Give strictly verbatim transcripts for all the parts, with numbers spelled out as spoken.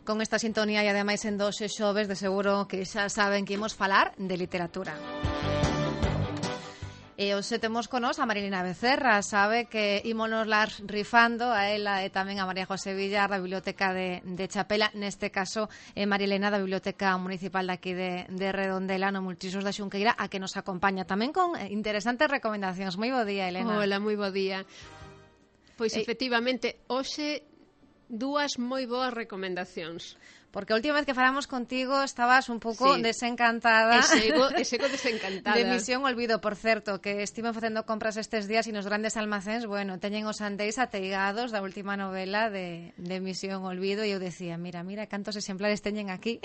con esta sintonía e ademais en dos xoves de seguro que xa saben que imos falar de literatura. E hoxe temos con nos a Marilena Becerra, sabe que ímonos las rifando a ela e tamén a María José Villar da Biblioteca de, de Chapela, neste caso eh, Marilena da Biblioteca Municipal daqui de, de Redondela no Multiusos da Xunqueira, a que nos acompaña tamén con interesantes recomendacións. Moi bo día, Elena. Hola, moi bo día. Pois Ei. efectivamente, hoxe dúas moi boas recomendacións. Porque a última vez que falamos contigo estabas un pouco sí. desencantada. E sego, e sego desencantada. De Misión Olvido, por certo, que estiven facendo compras estes días e nos grandes almacéns, bueno, teñen os andeis ateigados da última novela de, de Misión Olvido e eu decía, mira, mira, cantos exemplares teñen aquí.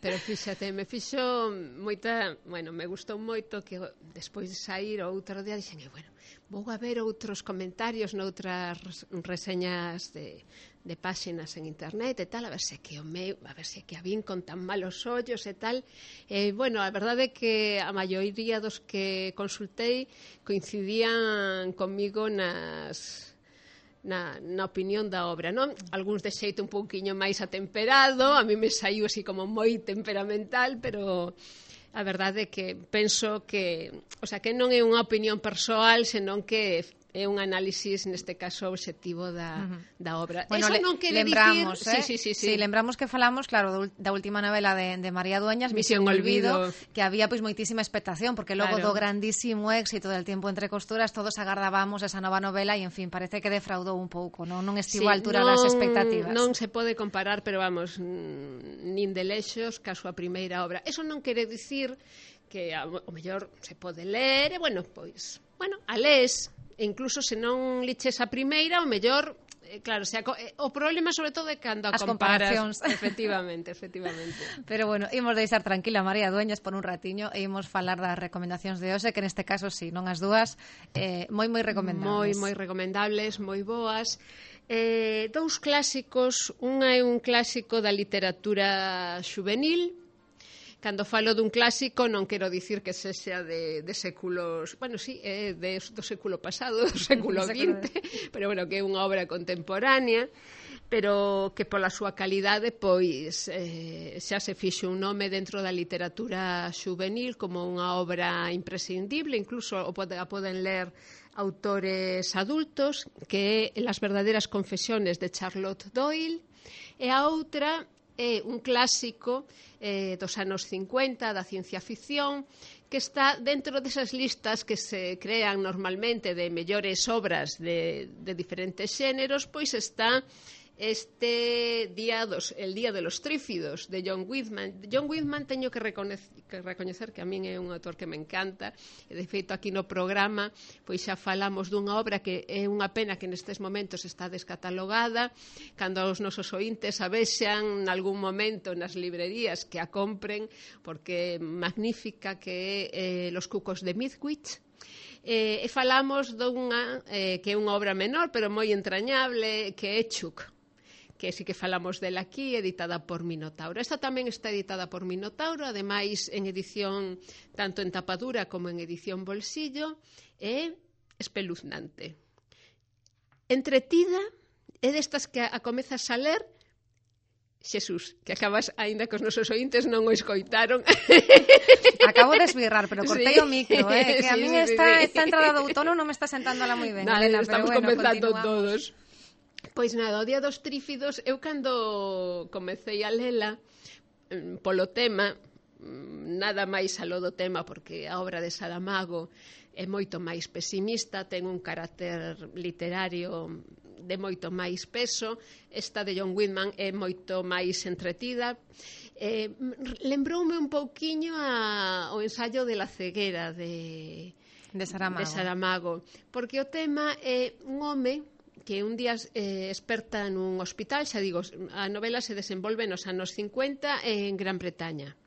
Pero fíxate, me fixo moita, bueno, me gustou moito que despois de sair o outro día dixen, bueno, vou a ver outros comentarios noutras reseñas de, de páxinas en internet e tal, a ver se que o meu, a ver se que a vin con tan malos ollos e tal. E, bueno, a verdade é que a maioría dos que consultei coincidían comigo nas... Na, na opinión da obra, non? Algúns de xeito un pouquiño máis atemperado, a mí me saiu así como moi temperamental, pero a verdade é que penso que, o sea, que non é unha opinión persoal, senón que é un análisis, neste caso, obxectivo da, uh-huh. da obra. Bueno, Eso le, non quere lembramos, dicir... eh? Sí, sí, sí, sí. Sí, lembramos que falamos, claro, da última novela de, de María Dueñas, Misión, Misión Olvido, Olvido, que había pois moitísima expectación, porque logo claro. do grandísimo éxito del Tiempo entre costuras, todos agardábamos esa nova novela e, en fin, parece que defraudou un pouco, non, non estivo sí, a altura non, das expectativas. Non se pode comparar, pero vamos, nin de lexos ca súa primeira obra. Eso non quere dicir que o mellor se pode ler, e, bueno, pois, bueno, a les... E incluso se non liches a primeira, o mellor, eh, claro, se a, eh, o problema sobre todo é cando a As comparas. comparacións. Efectivamente, efectivamente. Pero bueno, imos deixar tranquila a María Dueñas por un ratiño e imos falar das recomendacións de hoxe, que neste caso, si, sí, non as dúas, eh, moi, moi recomendables. Moi, moi recomendables, moi boas. Eh, dous clásicos, unha é un clásico da literatura xuvenil. Cando falo dun clásico non quero dicir que sexa de, de séculos... Bueno, sí, é de, do século pasado, do século vinte, pero bueno, que é unha obra contemporánea, pero que pola súa calidade, pois, eh, xa se fixe un nome dentro da literatura xuvenil como unha obra imprescindible, incluso o pode, a poden ler autores adultos, que é Las verdaderas confesiones de Charlotte Doyle, e a outra é un clásico eh, dos anos cincuenta da ciencia ficción que está dentro desas listas que se crean normalmente de mellores obras de, de diferentes xéneros, pois está este día dos, el Día de los Trífidos de John Whitman. John Whitman teño que recoñecer, que recoñecer que a min é un autor que me encanta, e de feito aquí no programa pois xa falamos dunha obra que é unha pena que nestes momentos está descatalogada, cando os nosos ointes a vexan nalgún momento nas librerías que a compren, porque magnífica, que é eh, Los cucos de Midwich. Eh, e falamos dunha eh, que é unha obra menor pero moi entrañable, que é Chuck, que sí que falamos dela aquí, editada por Minotauro. Esta tamén está editada por Minotauro, ademais en edición tanto en tapadura como en edición bolsillo, e espeluznante. Entretida, é destas que a comezas a ler, Xesús, que acabas, aínda que os nosos ointes non o escoitaron. Acabo de esbirrar, pero cortei sí. o micro, eh, que sí, a min sí, esta, sí. esta entrada do outono non me está sentando la moi ben, Nada, Elena, estamos pero bueno, comenzando continuamos. todos. Pois nada, o Día dos Trífidos, eu cando comecei a lela polo tema, nada máis aló do tema, porque a obra de Saramago é moito máis pesimista, ten un carácter literario de moito máis peso, esta de John Whitman é moito máis entretida. Eh, lembroume un pouquiño a, o ensaio de la ceguera de, de, Saramago. de Saramago, porque o tema é un home que un día eh, experta nun hospital, xa digo, a novela se desenvolve nos anos cincuenta en Gran Bretaña.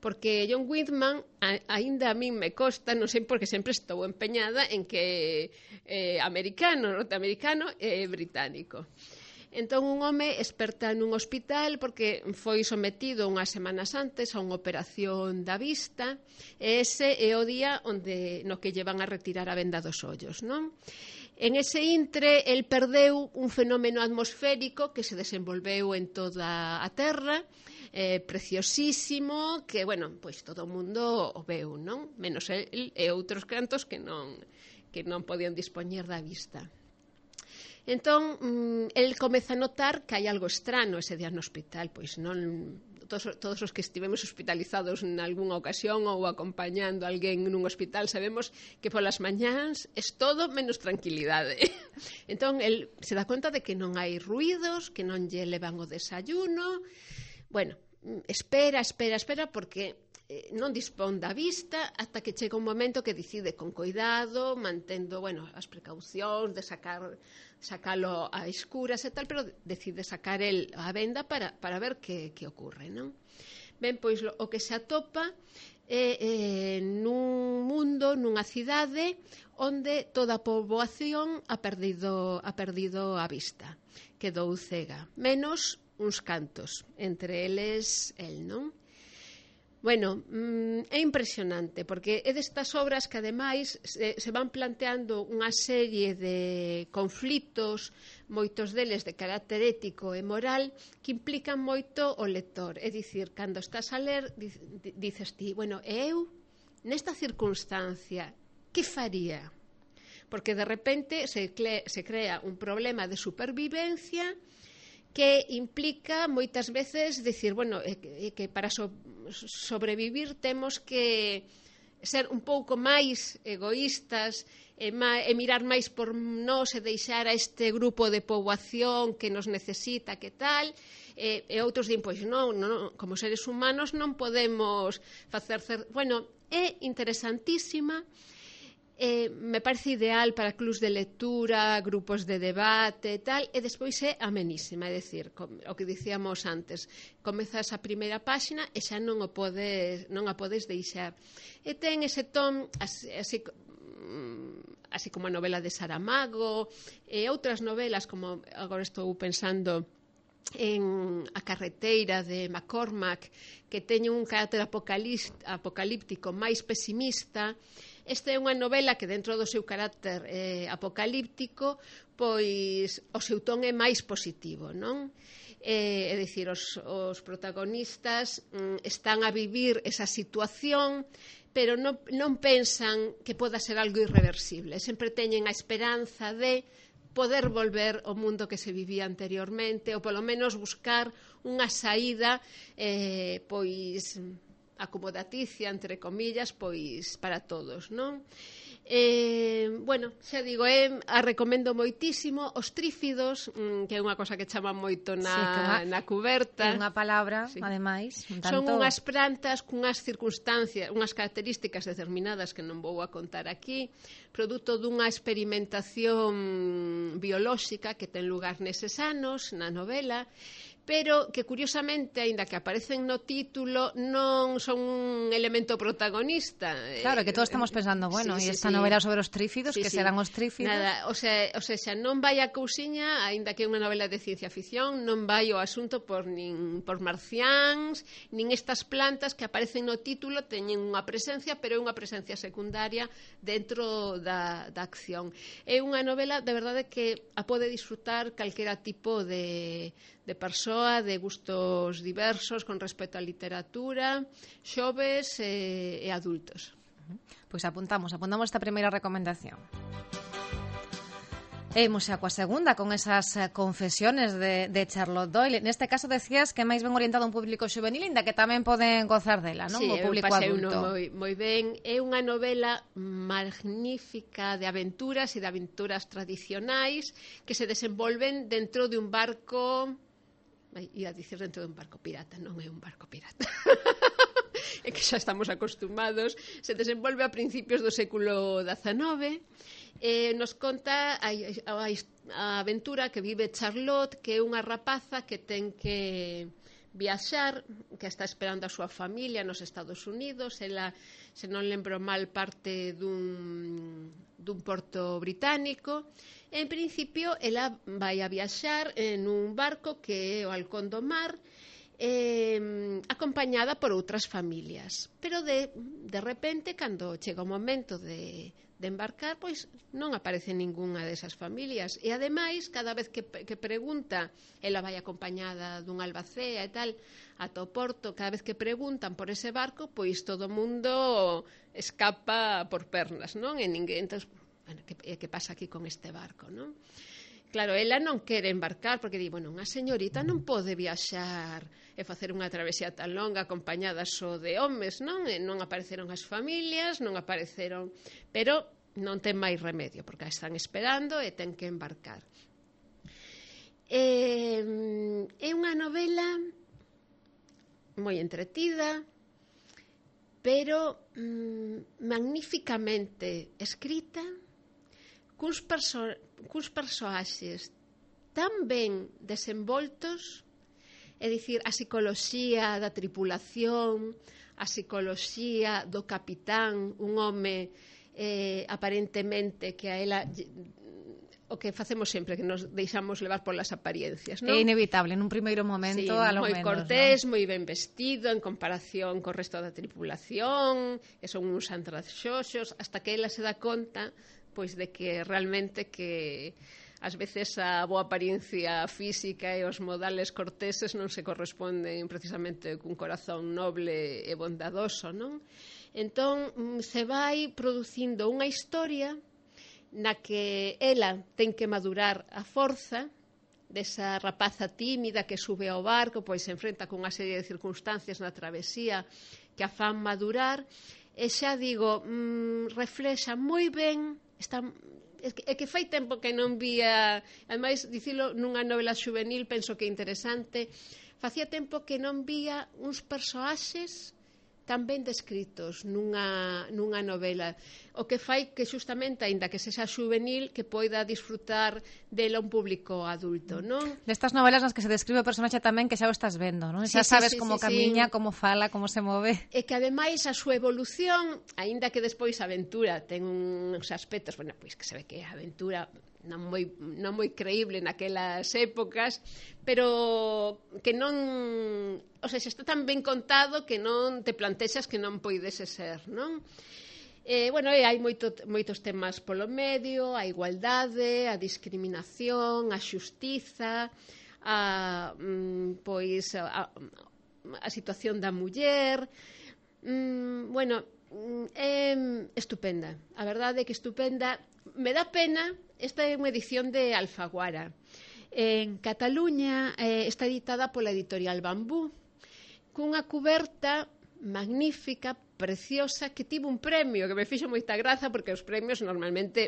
Porque John Whitman, a, aínda a min me costa, non sei porque sempre estou empeñada en que é eh, americano, norteamericano e británico. Entón un home esperta nun hospital porque foi sometido unhas semanas antes a unha operación da vista, e ese é o día onde no que llevan a retirar a venda dos ollos, non? En ese intre, el perdeu un fenómeno atmosférico que se desenvolveu en toda a Terra, eh, preciosísimo, que, bueno, pois todo o mundo o veu, non? Menos el e outros cantos que non, que non podían dispoñer da vista. Entón, el comeza a notar que hai algo estrano ese día no hospital, pois non todos, todos os que estivemos hospitalizados en algunha ocasión ou acompañando a alguén nun hospital sabemos que polas mañáns es todo menos tranquilidade. Entón, el se dá conta de que non hai ruidos, que non lle levan o desayuno. Bueno, espera, espera, espera, porque non dispón da vista ata que chega un momento que decide con cuidado, mantendo, bueno, as precaucións de sacar sacalo a escuras e tal, pero decide sacar el a venda para, para ver que, que ocorre, non? Ben, pois lo, o que se atopa é eh, nun mundo, nunha cidade onde toda a poboación ha perdido, ha perdido a vista, quedou cega, menos uns cantos, entre eles el, non? Bueno, é impresionante, porque é destas obras que, ademais, se, se van planteando unha serie de conflitos, moitos deles de carácter ético e moral, que implican moito o lector. É dicir, cando estás a ler, dices ti, bueno, e eu, nesta circunstancia, que faría? Porque, de repente, se, cle, se crea un problema de supervivencia que implica moitas veces decir, bueno, é que, é que para so, sobrevivir temos que ser un pouco máis egoístas e, ma, e mirar máis por nós e deixar a este grupo de poboación que nos necesita, que tal, e, e outros din, pois non, non, como seres humanos non podemos facer... Bueno, é interesantísima. Eh, me parece ideal para clubs de lectura, grupos de debate e tal, e despois é amenísima, é dicir, o que dicíamos antes, comezas a primeira páxina e xa non o podes, non a podes deixar. E ten ese ton así, así, así como a novela de Saramago e outras novelas, como agora estou pensando en A carreteira de McCormack, que teñen un carácter apocalíptico máis pesimista. Esta é unha novela que, dentro do seu carácter eh, apocalíptico, pois o seu ton é máis positivo, non? Eh, é dicir, os, os protagonistas mm, están a vivir esa situación, pero non, non pensan que poda ser algo irreversible. Sempre teñen a esperanza de poder volver ao mundo que se vivía anteriormente, ou polo menos buscar unha saída eh, pois acomodaticia, entre comillas, pois para todos, non? Eh, bueno, xa digo, eh, a recomendo moitísimo. Os trífidos, mm, que é unha cosa que chama moito na, sí, unha, na cuberta. É unha palabra, sí. Ademais. Un tanto... Son unhas plantas cunhas circunstancias, unhas características determinadas que non vou a contar aquí, produto dunha experimentación biolóxica que ten lugar neses anos, na novela, pero que, curiosamente, aínda que aparecen no título, non son un elemento protagonista. Claro, que todos estamos pensando, bueno, sí, e sí, esta sí. novela sobre os trífidos, sí, que sí. serán os trífidos? Nada, o sea, o sea, xa non vai a cousiña, aínda que é unha novela de ciencia ficción, non vai o asunto por nin por marciáns, nin estas plantas que aparecen no título, teñen unha presencia, pero é unha presencia secundaria dentro da, da acción. É unha novela, de verdade, que a pode disfrutar calquera tipo de... de persoa, de gustos diversos con respecto á literatura, xoves e, e adultos. Pois apuntamos, apuntamos esta primeira recomendación. E imos xa coa segunda, con esas confesiones de, de Charlotte Doyle. Neste caso decías que é máis ben orientado a un público juvenil, inda que tamén poden gozar dela, non? Sí, o público adulto. Moi, moi ben. É unha novela magnífica de aventuras e de aventuras tradicionais que se desenvolven dentro de un barco... Ia dicir dentro de un barco pirata, non é un barco pirata. É que xa estamos acostumados. Se desenvolve a principios do século dezenove. Eh, nos conta a, a, a aventura que vive Charlotte, que é unha rapaza que ten que viaxar, que está esperando a súa familia nos Estados Unidos. Ela, se non lembro mal, parte dun, dun porto británico. En principio, ela vai a viaxar en un barco que é o Halcón do Mar, eh, acompañada por outras familias. Pero de, de repente, cando chega o momento de, de embarcar, pois non aparece ningunha desas familias. E ademais, cada vez que, que pregunta, ela vai acompañada dun albacea e tal, ata o porto, cada vez que preguntan por ese barco, pois todo o mundo escapa por pernas, non? E ninguén, entón, bueno, que, que pasa aquí con este barco, non? Claro, ela non quere embarcar porque di, bueno, unha señorita non pode viaxar e facer unha travesía tan longa acompañada só de homes, non? E non apareceron as familias, non apareceron, pero non ten máis remedio porque a están esperando e ten que embarcar. É, é unha novela moi entretida, pero mm, magníficamente escrita, cuns, perso cuns persoaxes tan ben desenvoltos, é dicir, a psicoloxía da tripulación, a psicoloxía do capitán, un home eh, aparentemente que a ela o que facemos sempre, que nos deixamos levar polas apariencias, non? É inevitable, nun primeiro momento, sí, a lo moi menos, cortés, ¿no? moi ben vestido en comparación co resto da tripulación, que son uns andraxoxos, hasta que ela se dá conta pois de que realmente que ás veces a boa apariencia física e os modales corteses non se corresponden precisamente cun corazón noble e bondadoso, non? Entón, se vai producindo unha historia na que ela ten que madurar a forza desa rapaza tímida que sube ao barco, pois se enfrenta con unha serie de circunstancias na travesía que a fan madurar, e xa digo, mmm, reflexa moi ben, está, é, que, é que fai tempo que non vía, ademais, dicilo nunha novela juvenil, penso que é interesante, facía tempo que non vía uns persoaxes tan ben descritos nunha, nunha novela, o que fai que xustamente, aínda que sexa juvenil, que poida disfrutar dela un público adulto, non? Destas novelas nas que se describe o personaxe tamén que xa o estás vendo, non? Sí, Xa sí, sabes sí, como sí, camiña, sí. como fala, como se move. E que ademais a súa evolución, aínda que despois a aventura ten uns aspectos, bueno, pois que se ve que a aventura non moi, non moi creíble naquelas épocas, pero que non, o sea, se está tan ben contado que non te plantexas que non poidese ser, non? Eh, bueno, e hai moito, moitos temas polo medio, a igualdade, a discriminación, a xustiza, a, mm, pois, a, a situación da muller, mm, bueno, é estupenda, a verdade é que estupenda. Me dá pena, esta é unha edición de Alfaguara. En Cataluña eh, está editada pola editorial Bambú, cunha cuberta magnífica, preciosa, que tivo un premio, que me fixo moita graza, porque os premios normalmente,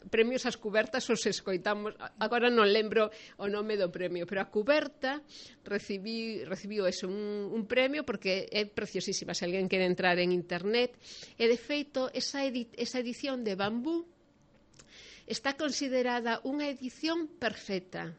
premios ás cubertas os escoitamos, agora non lembro o nome do premio, pero a cuberta recibí, recibiu eso, un, un premio, porque é preciosísima, se alguén quere entrar en internet, e de feito, esa, edi esa edición de Bambú está considerada unha edición perfecta,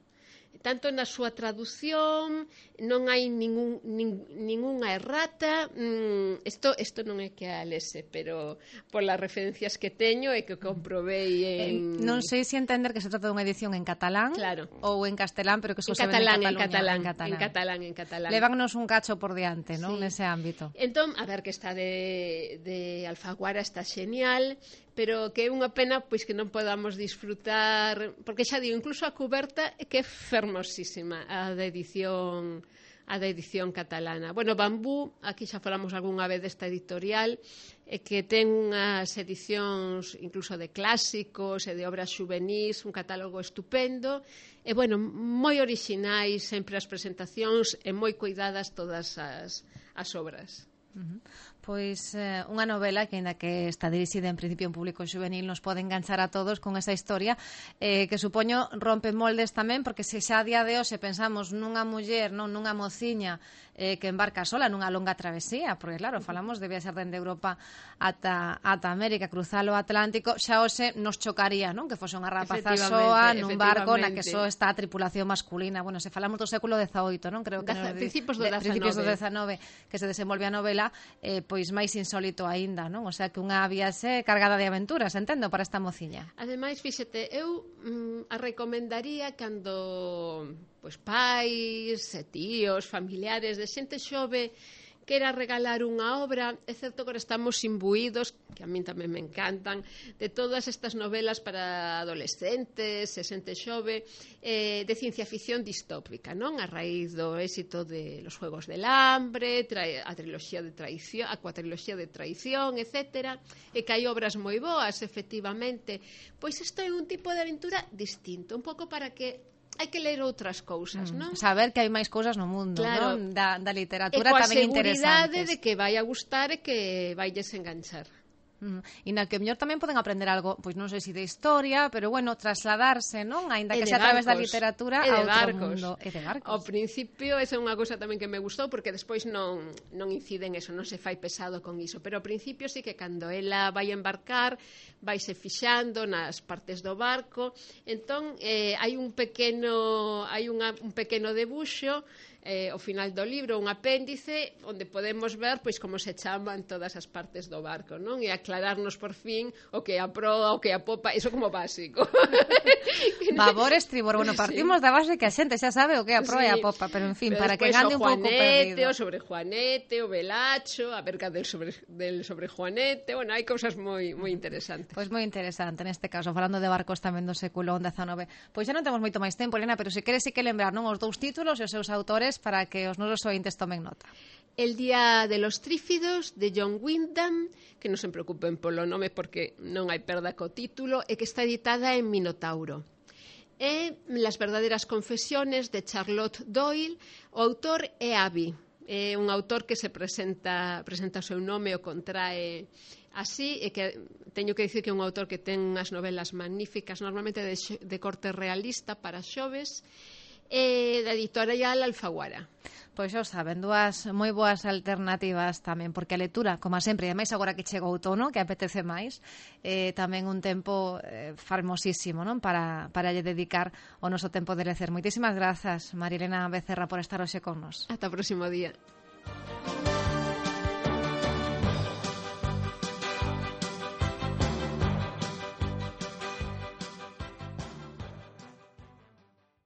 tanto na súa traducción, non hai ningún, nin, ningunha errata, mm, isto, isto non é que a lese, pero polas referencias que teño e que comprobei en... Eh, non sei se entender que se trata dunha edición en catalán, claro, ou en castelán, pero que só en se catalán, vende en en catalán, en catalán, en catalán, en catalán. Levámonos un cacho por diante, non? Sí. Nese ámbito. Entón, a ver, que está de, de Alfaguara, está xenial, pero que é unha pena pois que non podamos disfrutar, porque xa digo, incluso a cuberta que é fermosísima, a da edición a da edición catalana. Bueno, Bambú, aquí xa falamos algunha vez desta editorial, e que ten unhas edicións incluso de clásicos e de obras xuvenís, un catálogo estupendo, e bueno, moi orixinais sempre as presentacións e moi cuidadas todas as, as obras. Uh-huh. Pois eh, unha novela que, ainda que está dirixida en principio a un público juvenil, nos pode enganchar a todos con esa historia, eh, que supoño rompe moldes tamén, porque se xa a día de hoxe pensamos nunha muller, non nunha mociña eh, que embarca sola nunha longa travesía, porque claro, falamos de viaxar dende Europa ata, ata América, cruzar o Atlántico, xa hoxe nos chocaría, non? Que fose unha rapaza soa nun barco na que só está a tripulación masculina. Bueno, se falamos do século dezaoito, non? Creo que Daza, nos, principios do de, principios do dezanove, dezanove, que se desenvolve a novela, eh, pois máis insólito aínda, non? O sea, que unha viaxe cargada de aventuras, entendo, para esta mociña. Ademais, fíxete, eu mm, a recomendaría cando pois pais, e tíos, familiares de xente xove quera regalar unha obra, é certo que agora estamos imbuídos, que a min tamén me encantan, de todas estas novelas para adolescentes e xente xove, eh, de ciencia ficción distópica, non? A raíz do éxito de Los Juegos del Hambre, a triloxía de traición, a cuatriloxía de traición, etcétera, e que hai obras moi boas, efectivamente. Pois isto é un tipo de aventura distinto, un pouco para que hai que ler outras cousas, mm, non? Saber que hai máis cousas no mundo, claro, non? Da, da literatura tamén interesantes. E coa seguridade de que vai a gustar e que vailles enganchar. Mm. E na que mellor tamén poden aprender algo, pois non sei se de historia, pero bueno, trasladarse, non? Aínda que sea a través da literatura a outro barcos. mundo. E de barcos. Ao principio, esa é unha cousa tamén que me gustou, porque despois non, non incide en eso, non se fai pesado con iso, pero ao principio sí que cando ela vai embarcar, vaise fixando nas partes do barco, entón eh, hai un pequeno hai unha, un pequeno debuxo eh, ao final do libro, un apéndice onde podemos ver pois como se chaman todas as partes do barco, non? E aclararnos por fin o que é a proa, o que é a popa, iso como básico. Babor, estribor, bueno, partimos sí. da base que a xente xa sabe o que é a proa sí. e a popa, pero en fin, pero para que ande un pouco perdido. O sobre Juanete, o Velacho, a verca del sobre, del sobre Juanete, bueno, hai cousas moi moi interesantes. Pois moi interesante, neste caso, falando de barcos tamén do século dezanove. Pois xa non temos moito máis tempo, Elena, pero se queres sí que lembrar, non, os dous títulos e os seus autores para que os nosos ointes tomen nota. El día de los trífidos, de John Wyndham, que non se preocupen polo nome porque non hai perda co título, e que está editada en Minotauro. E Las verdaderas confesiones, de Charlotte Doyle, o autor é Abby. É un autor que se presenta, presenta o seu nome, o contrae así, e que teño que dicir que é un autor que ten unhas novelas magníficas, normalmente de, de corte realista para xoves, e da editorial Alfaguara. Pois xa saben, dúas moi boas alternativas tamén, porque a lectura, como sempre, e ademais agora que chega o outono, que apetece máis, eh, tamén un tempo eh, fermosísimo, non? Para, para lle dedicar o noso tempo de lecer. Moitísimas grazas, Marilena Becerra, por estar hoxe con nos. Ata o próximo día.